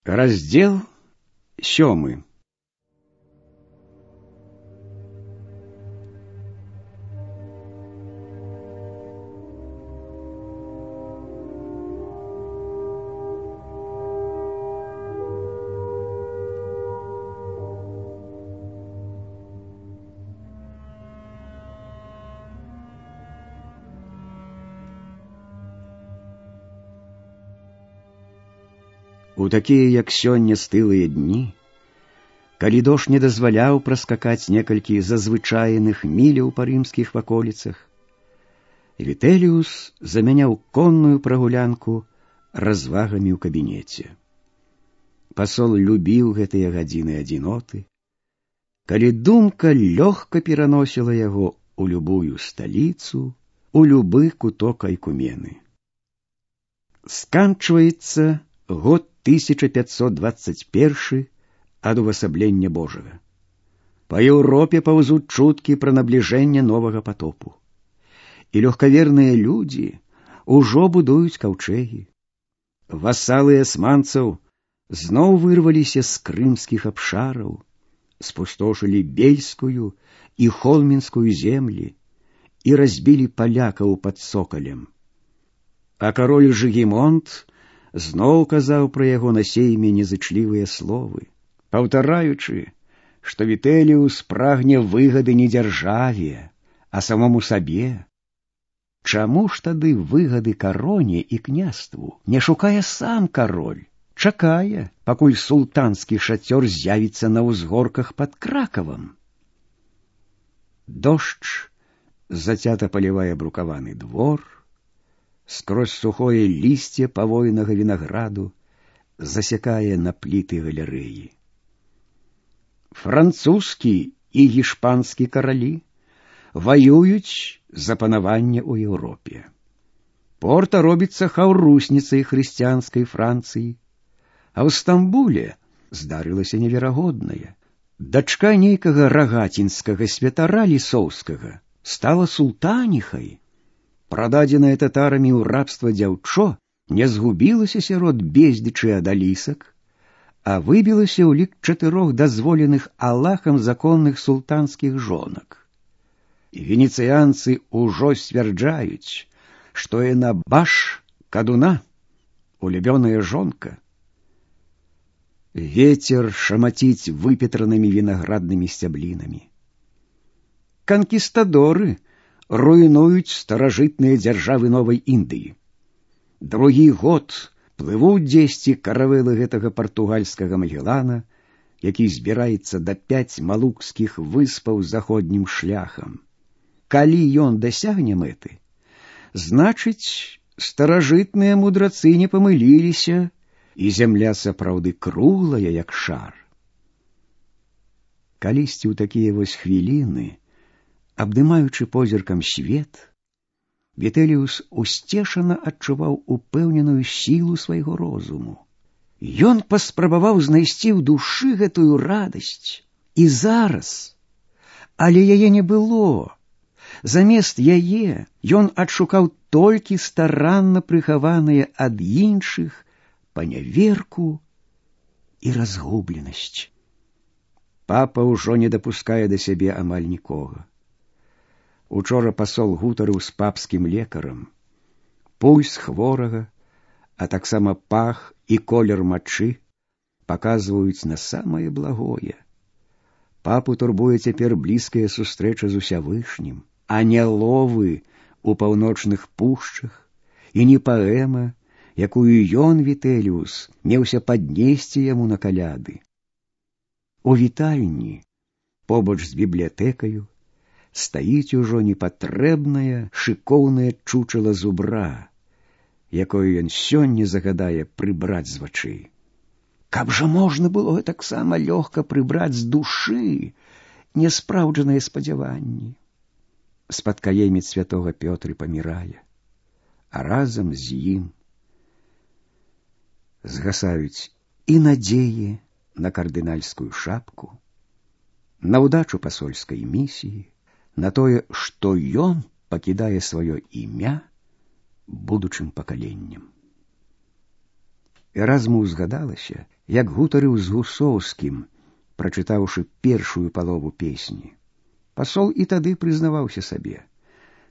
Раздел 7. У такія, як сёння, стылыя дні, калі дождж не дазваляў праскакаць некалькі зазвычайных міляў па рымскіх ваколіцах, Вітэліус замяняў конную прагулянку развагамі ў кабінеце. Пасол любіў гэтыя гадзіны адзіноты, калі думка лёгка пераносіла яго у любую сталіцу, у любы куток Айкумены. Сканчваецца год 1521 ад увасаблення Божага. Па Еўропе паўзуць чуткі пра набліжэнне новага патопу. І лёгкаверныя людзі ўжо будуюць каўчэгі. Васалы асманцаў зноў вырваліся з крымскіх абшараў, спустошылі бельскую і холмінскую землі і разбілі палякаў пад Сокалем. А кароль Жыгімонт зноў казаў пра яго на сейме незычлівыя словы, паўтараючы, што Вітэліус прагне выгады не дзяржаве, а самому сабе. Чаму ж тады выгады кароне і княству не шукае сам кароль, чакае, пакуль султанскі шацёр з'явіцца на ўзгорках пад Кракавам? Дождж зацята палівае брукаваны двор, скрозь сухое лісце павойнага вінаграду засякае на пліты галерэі. Французскі і гішпанскі каралі ваююць за панаванне ў Еўропе. Порта робіцца хаўрусніцай хрысціянскай Францыі, а ў Стамбуле здарылася неверагоднае. Дачка нейкага рагацінскага святара лісоўскага стала султаніхай. Прададзенае татарамі ў рабства дзяўчо не згубілася сярод бездзічы адалісак, а выбілася ў лік 4 дазволеных Аллахам законных султанскіх жонак. Венецыянцы ўжо сцвярджаюць, што яна баш кадуна, улюбёная жонка. Вецер шамаціць выпетранымі вінаграднымі сцяблінамі. Канкістадоры руйнуюць старажытныя дзяржавы Новай Індыі. Другі год плывуць дзесьці каравелы гэтага партугальскага Магеллана, які збіраецца да 5 малукскіх выспаў заходнім шляхам. Калі ён дасягне мэты, значыць, старажытныя мудрацы не памыліліся, і зямля сапраўды круглая, як шар. Калісьці ў такія вось хвіліны, абдымаючы позіркам свет, Вітэліус усцешана адчуваў упэўненую сілу свайго розуму. Ён паспрабаваў знайсці ў душы гэтую радасць. І зараз, але яе не было. Замест яе ён адшукаў толькі старанна прыхаваныя ад іншых паняверку і разгубленасць. Папа ўжо не дапускае да сябе амаль нікога. Учора пасол гутарыў з папскім лекарам. Пульс хворага, а таксама пах і колер мачы паказваюць на самае благое. Папу турбуе цяпер блізкая сустрэча з Усявышнім, а не ловы ў паўночных пушчах і не паэма, якую ён, Вітэліус, меўся паднесці яму на каляды. У вітальні, побач з бібліятэкаю, стаіць ужо непатрэбнае, шыкоўнае чучала зубра, якое ён сёння загадае прыбраць з вачэй. Каб жа можна было таксама лёгка прыбраць з душы няспраўджаныя спадзяванні. Спадкаемец святога Пётры памірае, а разам з ім згасаюць і надзеі на кардынальскую шапку, на ўдачу пасольскай місіі, на тое, што ён пакідае сваё імя будучым пакаленням. Эразму ўзгадалася, як гутарыў з Гусоўскім, прачытаўшы першую палову песні. Пасол і тады прызнаваўся сабе,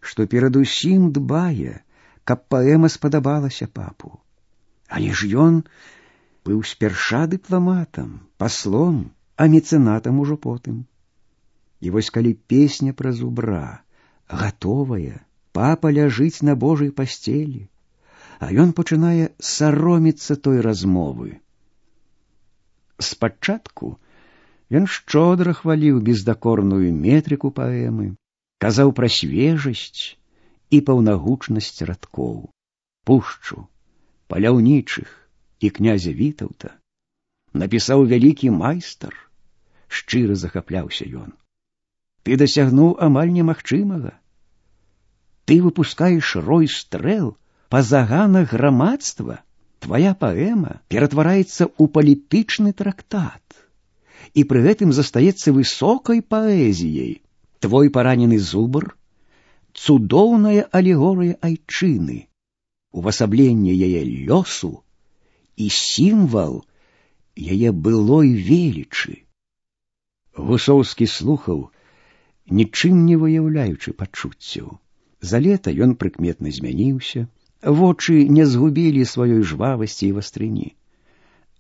што перадусім дбае, каб паэма спадабалася папу. Але ж ён быў спярша дыпламатам, паслом, а мецэнатам ужо потым. І вось калі песня пра зубра гатовая, папа ляжыць на Божай пасцелі, а ён пачынае сароміцца той размовы. Спачатку ён шчодра хваліў бездакорную метрыку паэмы, казаў пра свежасць і паўнагучнасць радкоў, пушчу, паляўнічых і князя Вітаўта. Напісаў вялікі майстар, шчыра захапляўся ён. Ты дасягнуў амаль немагчымага. Ты выпускаеш рой стрэл па заганах грамадства. Твая паэма ператвараецца ў палітычны трактат і пры гэтым застаецца высокай паэзіяй. Твой паранены зубр — цудоўная алегорыя айчыны, увасабленне яе лёсу і сімвал яе былой велічы. Гусоўскі слухаў, нічым не выяўляючы пачуццяў. За лета ён прыкметна змяніўся, вочы не згубілі сваёй жвавасці і вастрыні,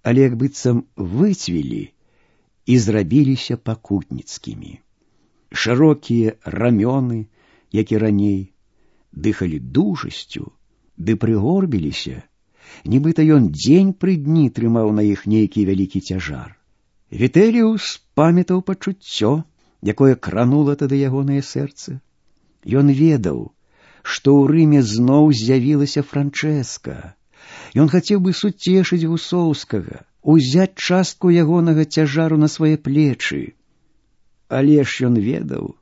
але як быццам выцвілі і зрабіліся пакутніцкімі. Шырокія рамёны, як і раней, дыхалі дужасцю, ды прыгорбіліся, нібыта ён дзень пры дні трымаў на іх нейкі вялікі цяжар. Вітэліус памятаў пачуццё, якое кранула тады ягонае сэрца. Ён ведаў, што ў Рыме зноў з'явілася Франчэска. Ён хацеў бы суцешыць Гусоўскага, узяць частку ягонага цяжару на свае плечы. Але ж ён ведаў,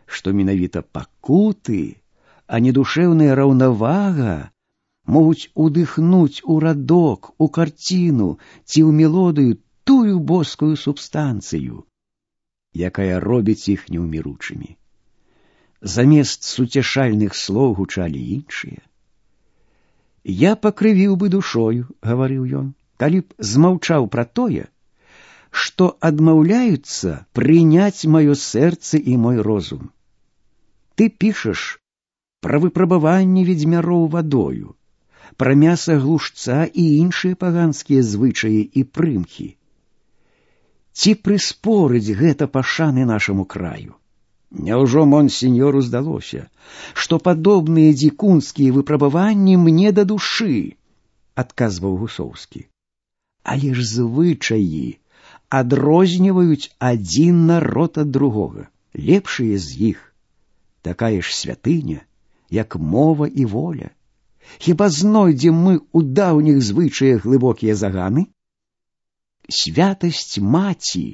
што менавіта пакуты, а не душэўная раўнавага могуць удыхнуць у радок, у карціну ці ў мелодыю тую боскую субстанцыю, якая робіць іх неўміручымі. Замест суцешальных слоў гучалі іншыя. «Я пакрывіў бы душою, — гаварыў ён, — калі б змаўчаў пра тое, што адмаўляюцца прыняць маё сэрца і мой розум. Ты пішаш пра выпрабаванне ведзьмяроў вадою, пра мяса глушца і іншыя паганскія звычаі і прымхі. Ці прыспорыць гэта пашаны нашаму краю? Няўжо монсеньору здалося, што падобныя дзікунскія выпрабаванні мне да душы?» — адказваў Гусоўскі. «Але ж звычаі адрозніваюць адзін народ ад другога. Лепшыя з іх такая ж святыня, як мова і воля. Хіба знойдзем мы ў даўніх звычаях глыбокія заганы? Святасць маці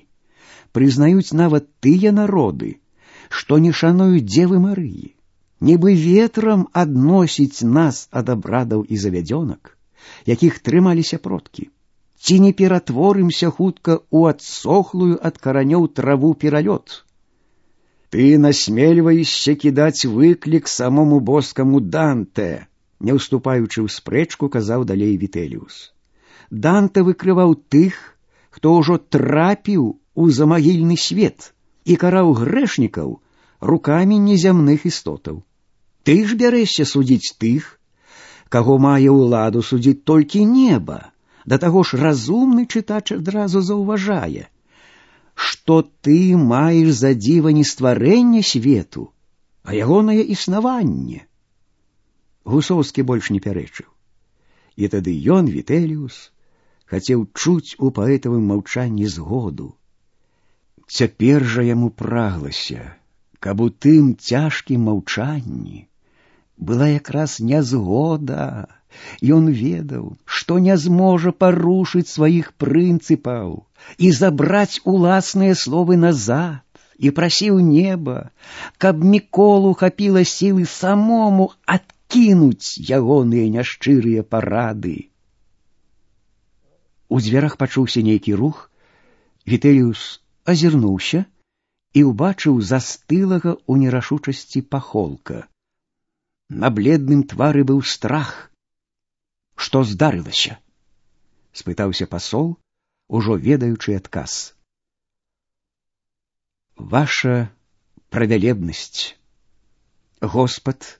прызнаюць нават тыя народы, што не шануюць Дзевы Марыі. Нібы ветрам адносіць нас ад абрадаў і завядзёнак, якіх трымаліся продкі. Ці не ператворымся хутка ў адсохлую ад каранёў траву пералёт? Ты насмельваешся кідаць выклік самому боскаму Данте», — не ўступаючы ў спрэчку, казаў далей Вітэліус. «Данте выкрываў тых, хто ўжо трапіў у замагільны свет і караў грэшнікаў рукамі незямных істотаў. Ты ж бярэшся судзіць тых, каго мае ўладу судзіць толькі неба. Да таго ж разумны чытач адразу заўважае, што ты маеш за дзіва не стварэнне свету, а ягонае існаванне». Гусоўскі больш не пярэчыў. І тады ён, Вітэліус, хацеў чуць у паэтавым маўчанні згоду. Цяпер жа яму праглася, каб у тым цяжкім маўчанні была якраз нязгода. Ён ведаў, што не зможа парушыць сваіх прынцыпаў і забраць уласныя словы назад, і прасіў неба, каб Міколу хапіла сілы самому адкінуць ягоныя няшчырыя парады. У дзвярах пачуўся нейкі рух. Вітэліус азірнуўся і ўбачыў застылага ў нерашучасці пахолка. На бледным твары быў страх. «Што здарылася?» — спытаўся пасол, ужо ведаючы адказ. «Ваша правялебнасць, Господ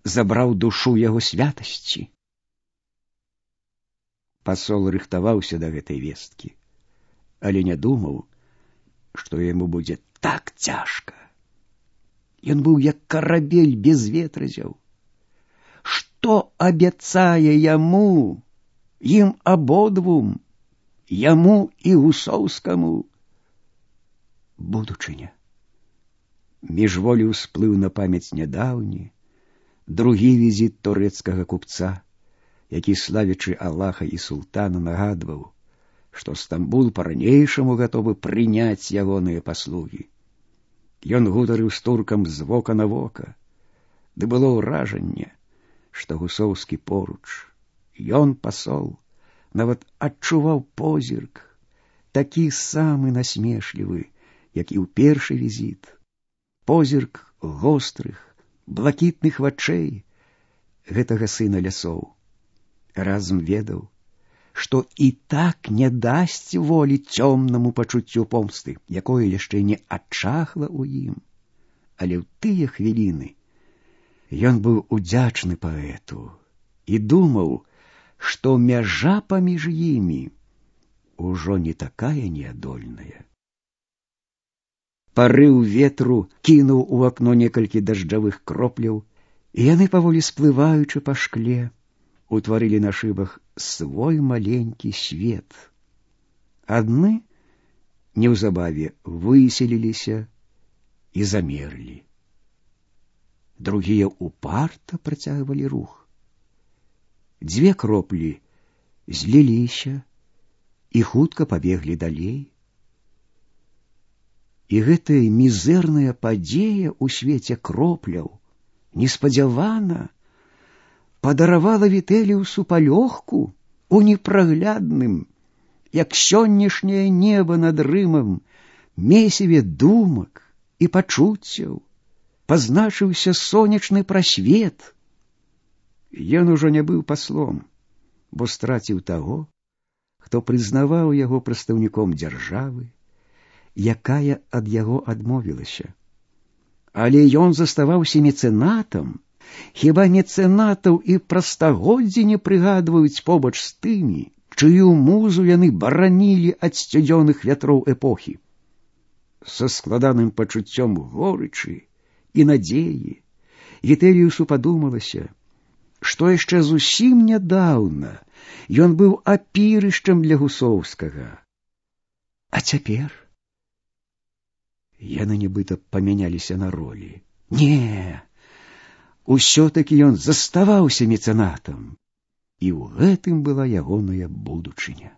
забраў душу яго святасці». Пасол рыхтаваўся да гэтай весткі, але не думаў, што яму будзе так цяжка. Ён быў як карабель без ветразяў. Што абяцае яму, ім абодвум, яму і Гусоўскаму? Будучыня. Міжволі ўсплыў на памяць нядаўні другі візіт турэцкага купца, які, славячы Аллаха і султана, нагадваў, што Стамбул па-ранейшаму гатовы прыняць ягоныя паслугі. Ён гутарыў з туркам з вока на вока, ды было ўражанне, што Гусоўскі поруч. Ён, пасол, нават адчуваў позірк, такі самы насмешлівы, як і ў першы візіт. Позірк гострых, блакітных вачэй гэтага сына лясоў. Разам ведаў, што і так не дасць волі цёмнаму пачуццю помсты, якое яшчэ не адчахла ў ім. Але ў тыя хвіліны ён быў удзячны паэту і думаў, што мяжа паміж імі ўжо не такая неадольная. Парыў ветру кінуў у акно некалькі дажджавых кропляў, і яны, паволі сплываючы па шкле, утварылі на шыбах свой маленькі свет. Адны неўзабаве выселіліся і замерлі. Другія упарта працягвалі рух. Дзве кроплі зліліся і хутка пабеглі далей. І гэтая мізэрная падзея ў свеце кропляў неспадзявана падаравала Вітэліусу палёгку у непраглядным, як сённяшняе неба над Рымам, месіве думак і пачуццяў. Пазначыўся сонечны прасвет. Ён ужо не быў паслом, бо страціў таго, хто прызнаваў яго прадстаўніком дзяржавы, якая ад яго адмовілася. Але ён заставаўся мецэнатам. Хіба мецэнатаў і прастагоддзі не прыгадваюць побач з тымі, чыю музу яны баранілі ад сцюдзёных вятроў эпохі? Са складаным пачуццём горычы і надзеі Вітэліусу падумалася, што яшчэ зусім нядаўна ён быў апірышчам для Гусоўскага. А цяпер яны нібыта памяняліся на ролі. Не, усё-такі ён заставаўся мецэнатам, і ў гэтым была ягоная будучыня.